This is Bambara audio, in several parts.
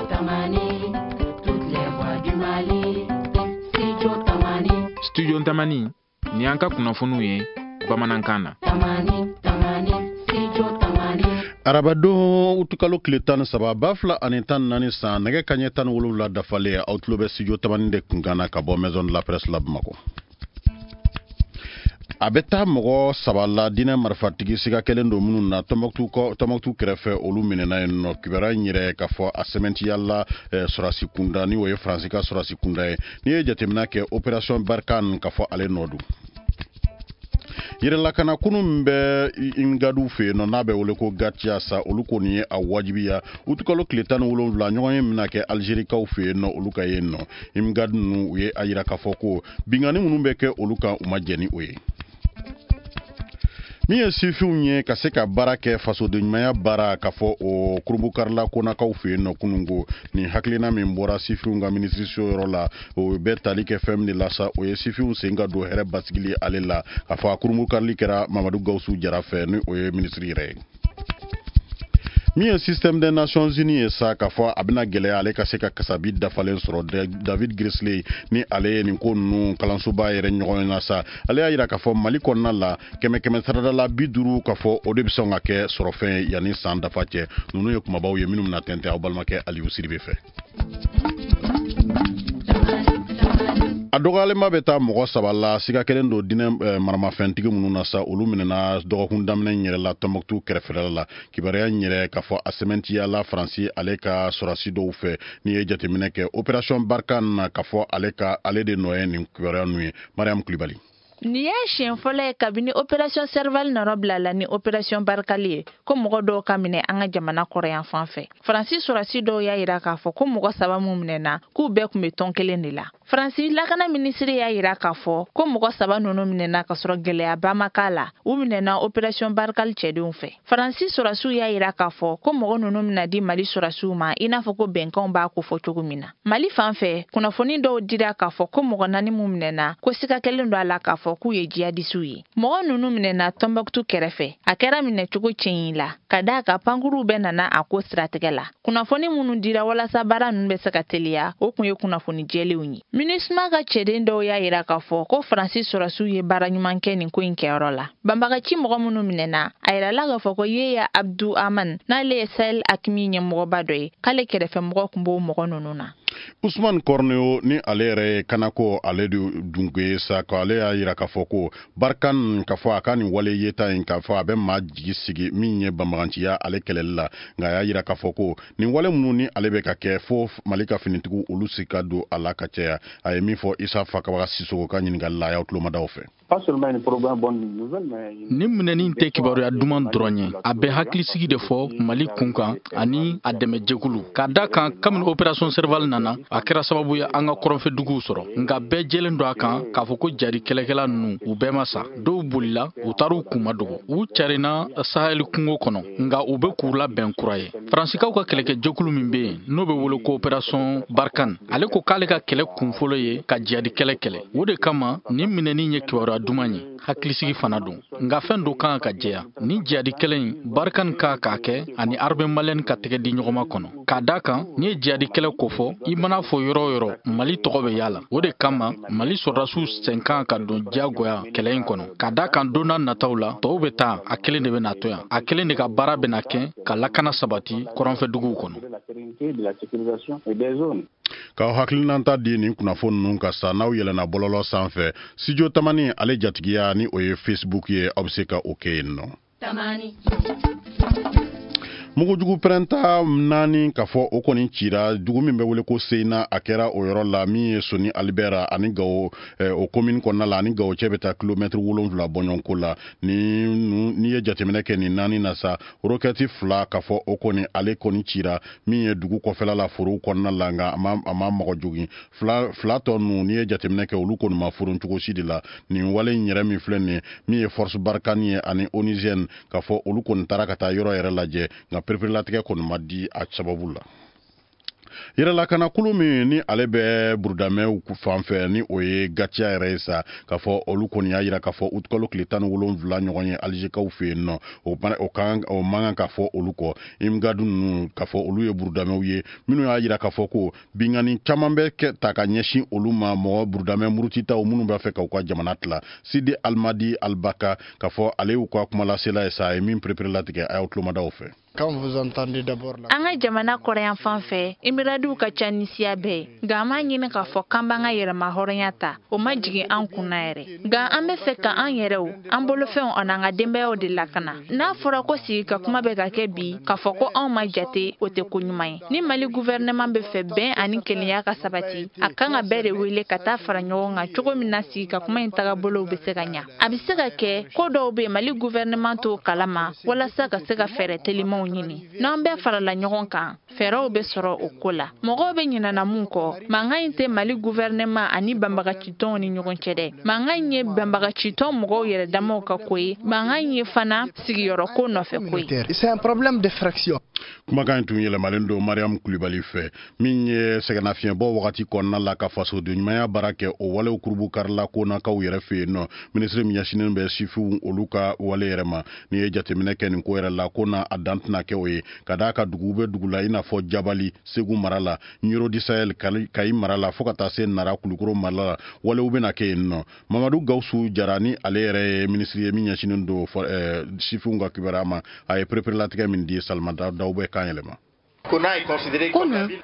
Tamani, toutes les voix du Mali. Studio Tamani. Studio Tamani, ni an ka kunnafoniw ye bamanankan na. Tamani, Tamani, Studio Tamani. Arabadon utukalo tile 13 2014 san, nɛgɛ kaɲɛ 17 dafalen, aw tulo bɛ Studio Tamani de kunkan na ka bɔ Maison de la Presse la Bamakɔ. A bɛ taa mɔgɔ saba la diinɛ marifatigi siga kɛlen don minnu na Tɔnbɔkutu kɛrɛfɛ, olu minɛna yen nɔ. Kibaruya in yɛrɛ k'a fɔ a sɛmɛntiyala sɔrɔdasi kunda, ni o ye Faransi ka sɔrɔdasi kunda ye. N'i ye jateminɛ kɛ opération Barkhane, k'a fɔ ale nɔ don. Yɛrɛlakana kunu min bɛ Imgadu fɛ yen nɔ, n'a bɛ wele ko Gatia sa, olu kɔni ye a wajibiya utukalo tile 17 ɲɔgɔn ye bɛna kɛ Alizerikaw fɛ yen nɔ, olu ka yen nɔ. Imgadu ninnu, u ye a yira k'a fɔ ko binkanni minnu bɛ kɛ olu kan, u ma jɛn ni o ye. Min ye sifinw ye ka se ka baara kɛ fasodenɲumanya baara, k'a fɔ o kurunbukarila konakaw fɛ yen nɔ kununko, nin hakilina min bɔra sifinw ka minisiriso yɔrɔ la, o bɛ tali kɛ fɛn min de la sa, o ye sifinw sen ka don hɛrɛ basigili ale la. K'a fɔ a kurunbukarili kɛra Mamadu Gawusu Jara fɛ, ni o ye minisiri yɛrɛ ye. Min ye système des Nations Unies ye sa, k'a fɔ a bɛna gɛlɛya ale ka se ka kasabi dafalen sɔrɔ. David Grizzly, ni ale ye nin ko ninnu kalansoba yɛrɛ ɲɔgɔn na sa, ale y'a yira k'a fɔ Mali kɔnɔna la, kɛmɛ kɛmɛ sarada la 50, k'a fɔ o de bɛ sɔn ka kɛ sɔrɔfɛn yanni san dafa cɛ. Ninnu ye kumabaw ye minnu bɛna tɛntɛn aw balimakɛ Aliyu Sidibe fɛ. A dɔgɔyalenba bɛ taa mɔgɔ saba la siga kɛlen don diinɛ maramafɛntigi minnu na sa, olu minɛna dɔgɔkun daminɛ in yɛrɛ la Tɔnbɔkutu kɛrɛfɛla la. Kibaruya in yɛrɛ k'a fɔ a sɛmɛntiyala Faransi ale ka sɔrɔdasi dɔw fɛ. N'i ye jateminɛ kɛ opération Barkhane na, k'a fɔ ale ka ale de nɔ ye nin kibaruya ninnu ye. Mariam Kulibali. Nin y'a siɲɛ fɔlɔ ye kabini opération Serval nɔrɔ bila la ni opération Barkhane ye, ko mɔgɔ dɔw ka minɛ an ka jamana kɔrɔyan fan fɛ. Faransi sɔrɔdasi dɔw y'a yira k'a fɔ ko mɔgɔ saba min minɛna, k'u bɛɛ tun bɛ tɔn kelen de la. Faransi lakana minisiri y'a yira k'a fɔ ko mɔgɔ saba ninnu minɛna k'a sɔrɔ gɛlɛyaba ma k'a la. U minɛna opération Barkhane cɛdenw fɛ. Faransi sɔrɔdasiw y'a yira k'a fɔ ko mɔgɔ ninnu bɛna di Mali sɔrɔdasiw ma, i n'a fɔ ko bɛnkanw b'a kofɔ cogo min na. Mali fan fɛ, kunnafoni dɔw dira k'a fɔ ko mɔgɔ naani min minɛna, ko siga kɛlen don a la k'a fɔ k'u ye jihadisiw ye. Mɔgɔ ninnu minɛna Tɔnbɔkutu kɛrɛfɛ. A kɛra minɛcogo cɛɲi la, ka d'a kan pankuruw bɛɛ nana a ko siratigɛ la. Kunnafoni minnu dira walasa baara ninnu bɛ se ka teliya, o tun ye kunnafoni jɛlenw ye. MINUSMA ka cɛden dɔw y'a yira k'a fɔ ko Faransi sɔrɔdasiw ye baara ɲuman kɛ nin ko in kɛyɔrɔ la. Banbagaci mɔgɔ minnu minɛna, a yirala k'a fɔ ko Yeya Abdu Aman, n'ale ye Sahel AQMI ɲɛmɔgɔba dɔ ye, k'ale kɛrɛfɛmɔgɔ tun b'o mɔgɔ ninnu na. Usman Corneo, ni ale yɛrɛ ye kanako ale de dunke ye sa, ko ale y'a yira k'a fɔ ko Barkhane, k'a fɔ a ka nin wale yeta in, k'a fɔ a bɛ maa jigi sigi min ye banbaganciya ale kɛlɛli la. Nka a y'a yira k'a fɔ ko nin wale minnu ni ale bɛ ka kɛ, fo Mali ka finitigiw olu si ka don a la ka caya. A ye min fɔ Isa Fakabaga Sisoko ka ɲininkali la, a y'aw tulomadaw fɛ. Nin minɛni tɛ kibaruya duman dɔrɔn ye, a bɛ hakilisigi de fɔ Mali kun kan ani a dɛmɛjɛkulu, k'a da kan kabini opération Serval nana, a kɛra sababu ye an ka kɔrɔnfɛduguw sɔrɔ. Nka bɛɛ jɛlen don a kan k'a fɔ ko jari kɛlɛkɛla ninnu, u bɛɛ ma sa. Dɔw bolila, u taar'u kunma dogo, u carinna Sahel kungo kɔnɔ, nka u bɛ k'u labɛn kura ye. Faransikaw ka kɛlɛkɛjɛkulu min bɛ yen, n'o bɛ wele ko opération Barkhane, ale ko k'ale ka kɛlɛ kunfɔlɔ ye ka jihadi kɛlɛ kɛlɛ. O de kama nin minɛni ye kibaruya duman ye, hakilisigi fana don. Nka fɛn dɔ kan ka jɛya: ni jihadi kɛlɛ in, Barkhane ka k'a kɛ ani armée malienne ka tɛgɛ di ɲɔgɔn ma kɔnɔ, k'a da kan n'i ye jihadi kɛlɛ kofɔ, i mana fɔ yɔrɔ o yɔrɔ, Mali tɔgɔ bɛ y'a la. O de kama Mali sɔrɔdasiw sen kan ka don diyagoya kɛlɛ in kɔnɔ, k'a da kan don n'a nataw la, tɔw bɛ taa, a kelen de bɛ na to yan, a kelen de ka baara bɛna kɛ ka lakana sabati kɔrɔnfɛduguw kɔnɔ. K'aw hakilinata di nin kunnafoni ninnu ka sa, n'aw yɛlɛnna bɔlɔlɔ sanfɛ, Studio Tamani ale jatigiya, ni o ye Facebook ye, aw bɛ se ka o kɛ yen nɔ. Mugujugu pɛrɛnta naani, k'a fɔ o kɔni cira dugu min bɛ wele ko Seyina. A kɛra o yɔrɔ la min ye Soni Alibɛra ani Gawo, o commune kɔnɔna la, ani Gawo cɛ bɛ taa kilomɛtiri 7 bɔɲɔgɔnko la. Ni n'i ye jateminɛ kɛ nin naani na sa, roquette fila, k'a fɔ o kɔni ale kɔni cira min ye dugu kɔfɛla la, forow kɔnɔna la, nka a ma mɔgɔ jogin. Fila fila tɔ ninnu, n'i ye jateminɛ kɛ, olu kɔni ma foron cogo si de la. Nin wale in yɛrɛ min filɛ nin ye, min ye force Barkhane ye ani Onusienne, k'a fɔ olu kɔni taara ka taa yɔrɔ yɛrɛ lajɛ, nka pereperelatigɛ kɔni ma di a sababu la. Yɛrɛlakanakulu min ni ale bɛ burudamɛw fan fɛ, ni o ye GATIA yɛrɛ ye sa, k'a fɔ olu kɔni y'a yira k'a fɔ utukalo tile 17 ɲɔgɔn ye Alizekaw fɛ yen nɔ, o kan o man kan ka fɔ olu kɔ. Imgad ninnu, k'a fɔ olu ye burudamɛw ye minnu y'a yira k'a fɔ ko binkanni caman bɛ kɛ ta ka ɲɛsin olu ma, mɔgɔ burudamɛ murutitaw minnu b'a fɛ k'u ka jamana tila. Sidi Almadi Albaka, k'a fɔ ale y'u ka kumalasela ye sa, a ye min pereperelatigɛ, a y'aw tulomadaw fɛ. An ka jamana kɔrɔyan fan fɛ, Imiradiw ka ca ni siya bɛɛ ye, nka an b'a ɲini k'a fɔ k'an b'an ka yɛrɛma hɔrɔnya ta, o ma jigin an kunna yɛrɛ. Nka an bɛ fɛ ka an yɛrɛw, an bolofɛnw an'an ka denbayaw de lakana. N'a fɔra ko sigi ka kuma bɛ ka kɛ bi, k'a fɔ ko anw ma jate, o tɛ ko ɲuman ye. Ni Mali gouvernement bɛ fɛ bɛn ani kelenya ka sabati, a kan ka bɛɛ de wele ka taa fara ɲɔgɔn kan cogo min na sigi ka kuma in tagabolow bɛ se ka ɲa. A bɛ se ka kɛ ko dɔw bɛ Mali gouvernement t'o kalama, walasa ka se ka fɛɛrɛ telimanw ɲini. N'an bɛɛ farala ɲɔgɔn kan, fɛɛrɛw bɛ sɔrɔ o ko la. Mɔgɔw bɛ ɲinana mun kɔ, mankan in tɛ Mali gouvernement ani banbagacitɔnw ni ɲɔgɔn cɛ dɛ. Mankan in ye banbagacitɔn mɔgɔw yɛrɛ damaw ka ko ye, mankan in ye fana sigiyɔrɔ ko nɔfɛ ko ye. C'est un problème de fraction. Kumakan in tun yɛlɛmalen don Mariam Kulibali fɛ. Min ye sɛgɛnnafiɲɛbɔ wagati kɔnɔna la ka fasoden ɲumanya baara kɛ, o walew kurubu karila konakaw yɛrɛ fɛ yen nɔ. Minisiri min ɲɛsinnen bɛ sifinw olu ka wale yɛrɛ ma, n'i ye jateminɛ kɛ nin ko yɛrɛ la, ko na a dan tɛna kɛ o ye, ka d'a ka dugu bɛ dugu la, i n'a fɔ Jabali Segu mara la, Ɲoro du Sahel Kayi mara la, fo ka taa se Nara Kulukoro mara la, walew bɛna kɛ yen nɔ. Mamadu Gawusu Jara, ni ale yɛrɛ ye minisiri ye min ɲɛsinnen don sifinw ka kibaruya ma, a ye pereperelatigɛ min di, Salimata Daw bɛ kan yɛlɛma. Kona,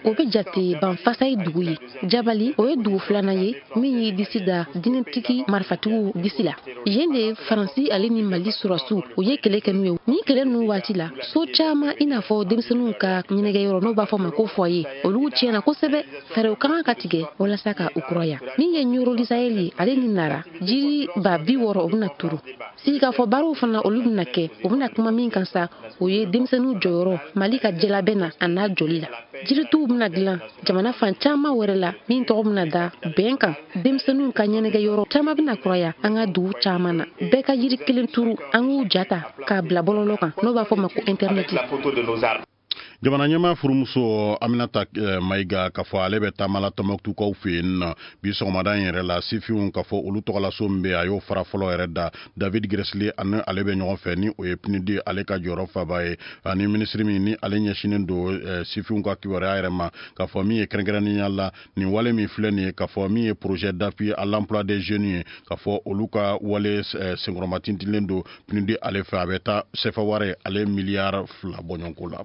o bɛ jate Banfasa ye dugu ye. Jabali, o ye dugu filanan ye min y'i disi da dinɛtigi marifatigiw disi la. Yen de Faransi ale ni Mali sɔrɔsiw u ye kɛlɛ kɛ n'u ye. Ni kɛlɛ ninnu waati la, so caman, i n'a fɔ denmisɛnninw ka ɲɛnajɛyɔrɔ n'o b'a fɔ ma ko foyer, olu tiɲɛna kosɛbɛ. Fɛɛrɛw ka kan ka tigɛ walasa ka u kuraya. Min ye Ɲoro du Sahel ye ale ni Nara, jiri 60,000 o bɛna turu. Sigikafɔ baaraw fana, olu bɛna kɛ. U bɛna kuma min kan sa, o ye denmisɛnninw jɔyɔrɔ Mali ka jɛlabɛn na a n'a jɔli la. Jirituw bɛna dilan jamana fan caman wɛrɛ la min tɔgɔ bɛna da bɛn kan. Denmisɛnninw ka ɲɛnajɛyɔrɔ caman bɛna kuraya an ka dugu caman na. Bɛɛ ka jiri kelen turu, an k'u ja ta k'a bila bɔlɔlɔ kan n'o b'a fɔ ma ko intɛrɛnɛti. Jamana ɲɛmaa furumuso Aminata Mayiga, k'a fɔ ale bɛ taama la Tɔnbɔkutukaw fɛ yen nɔ bi sɔgɔmada in yɛrɛ la. Sifinw, k'a fɔ olu tɔgɔlaso min bɛ, a y'o fara fɔlɔ yɛrɛ da. David Gressly ani ale bɛ ɲɔgɔn fɛ, ni o ye PNUD ale ka jɔyɔrɔ faba ye, ani minisiri min ni ale ɲɛsinnen don sifinw ka kibaruya yɛrɛ ma, k'a fɔ min ye kɛrɛnkɛrɛnnenya la nin wale min filɛ nin ye, k'a fɔ min ye projet d'appui à l'emploi des jeunes ye, k'a fɔ olu ka wale senkɔrɔmatintilen don PNUD ale fɛ. A bɛ taa sefa wari ale miliyari 2 bɔɲɔgɔnko la.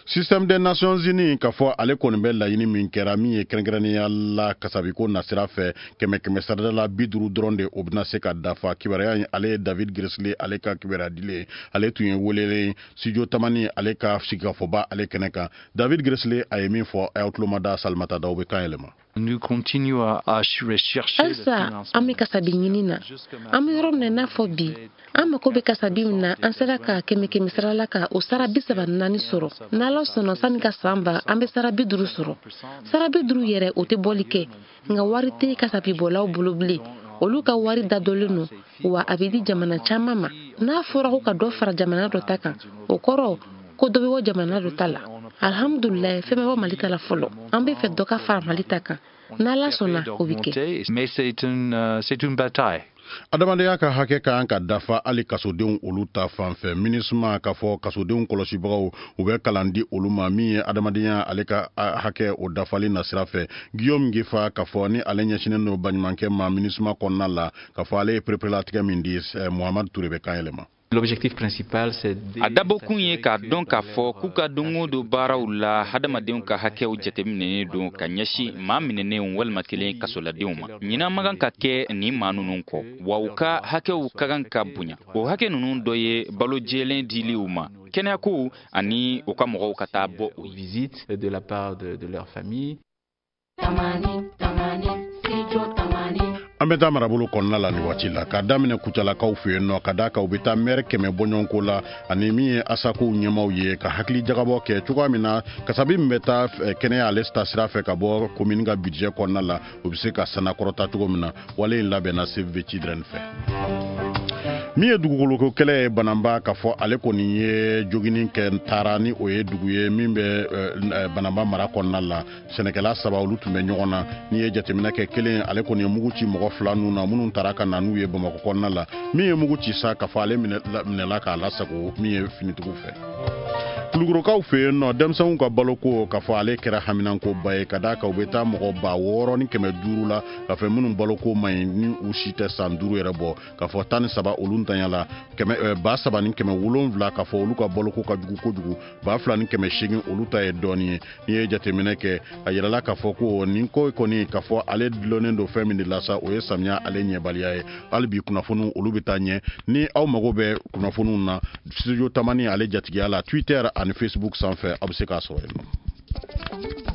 Système des Nations Unies, k'a fɔ ale kɔni bɛ laɲini min kɛra min ye kɛrɛnkɛrɛnnenya la kasabiko nasira fɛ, kɛmɛ kɛmɛ sarada la 50 dɔrɔn de o bɛna se ka dafa. Kibaruya in, ale ye David Gressly ale ka kibaruya dilen, ale tun ye welelen studio Tamani ale ka sigikafɔba ale kɛnɛ kan. David Gressly a ye min fɔ, a y'aw tulomada. Salimata Daw bɛ kan yɛlɛma. Halisa an bɛ kasabi ɲini na. An bɛ yɔrɔ min na i n'a fɔ bi, an mako bɛ kasabi min na, an sera ka kɛmɛ kɛmɛ sara la ka o sara 34 sɔrɔ. N'Ala sɔnna, sanni ka san ban, an bɛ sara 50 sɔrɔ. Sara 50 yɛrɛ, o tɛ bɔli kɛ, nka wari tɛ kasabibɔlaw bolo bilen. Olu ka wari dadɔlen don wa a bɛ di jamana caman ma. N'a fɔra ko ka dɔ fara jamana dɔ ta kan, o kɔrɔ ko dɔ bɛ bɔ jamana dɔ ta la. Alhamdulilayi, fɛn bɛ bɔ Mali ta la fɔlɔ. An bɛ fɛ dɔ ka fara Mali ta kan. N'Ala sɔnna, o bɛ kɛ. Adamadenya ka hakɛ ka kan ka dafa hali kasodenw olu ta fan fɛ. MINUSMA, k'a fɔ kasodenw kɔlɔsibagaw, u bɛ kalan di olu ma min ye adamadenya ale ka hakɛ o dafali nasira fɛ. Guillaume Ngefa, k'a fɔ ni ale ɲɛsinnen don baɲumankɛ ma MINUSMA kɔnɔna la, k'a fɔ ale ye pereperelatigɛ min di, Muhamadu Ture bɛ kan yɛlɛma. A dabɔkun ye k'a dɔn k'a fɔ k'u ka don o don baaraw la, hadamadenw ka hakɛw jateminɛnen don ka ɲɛsin maa minɛnenw walima kelen kasoladenw ma. Ɲinan man kan ka kɛ nin maa ninnu kɔ wa, u ka hakɛw ka kan ka bonya. O hakɛ ninnu dɔ ye balo jɛlen dili u ma, kɛnɛyakow ani u ka mɔgɔw ka taa bɔ u ye. Tamani, Tamani, Studio Tamani. An bɛ taa marabolo kɔnɔna la nin waati la, k'a daminɛ Kucalakaw fɛ yen nɔ, ka d'a kan u bɛ taa mɛri 100 bɔɲɔgɔnko la ani min ye asakow ɲɛmaw ye, ka hakili jagabɔ kɛ cogoya min na kasabi min bɛ taa kɛnɛya ale ta sira fɛ ka bɔ komini ka budget kɔnɔna la, o bɛ se ka sanakɔrɔta cogo min na. Wale in labɛnna Save the Children fɛ. Min ye dugukoloko kɛlɛ ye Bananba, k'a fɔ ale kɔni ye jogini kɛ taara ni o ye dugu ye min bɛ Bananba mara kɔnɔna la. Sɛnɛkɛla saba, olu tun bɛ ɲɔgɔn na. N'i ye jateminɛ kɛ, kelen ale kɔni ye mugu ci mɔgɔ fila ninnu na minnu taara ka na n'u ye Bamakɔ kɔnɔna la. Min ye mugu ci sa, k'a fɔ ale minɛla k'a lasago min ye finitigiw fɛ. Kulukorokaw fɛ yen nɔ, denmisɛnninw ka baloko, k'a fɔ ale kɛra haminankoba ye, ka d'a kan u bɛ taa mɔgɔ 6500 la, k'a fɔ minnu baloko man ɲi, ni u si tɛ san 5 yɛrɛ bɔ, k'a fɔ 13 olu ntanya la, 3700, k'a fɔ olu ka baloko ka jugu kojugu, 2800 olu ta ye dɔɔnin ye. N'i ye jateminɛ kɛ, a yirala k'a fɔ ko nin ko kɔni, k'a fɔ ale dulonnen don fɛn min de la sa, o ye samiya ale ɲɛbaliya ye. Hali bi kunnafoniw olu bɛ taa ɲɛ. Ni aw mago bɛ kunnafoniw na Studio Tamani ale jatigiya la, Twitter ani Facebook sanfɛ, aw bɛ se k'a sɔrɔ yen nɔ.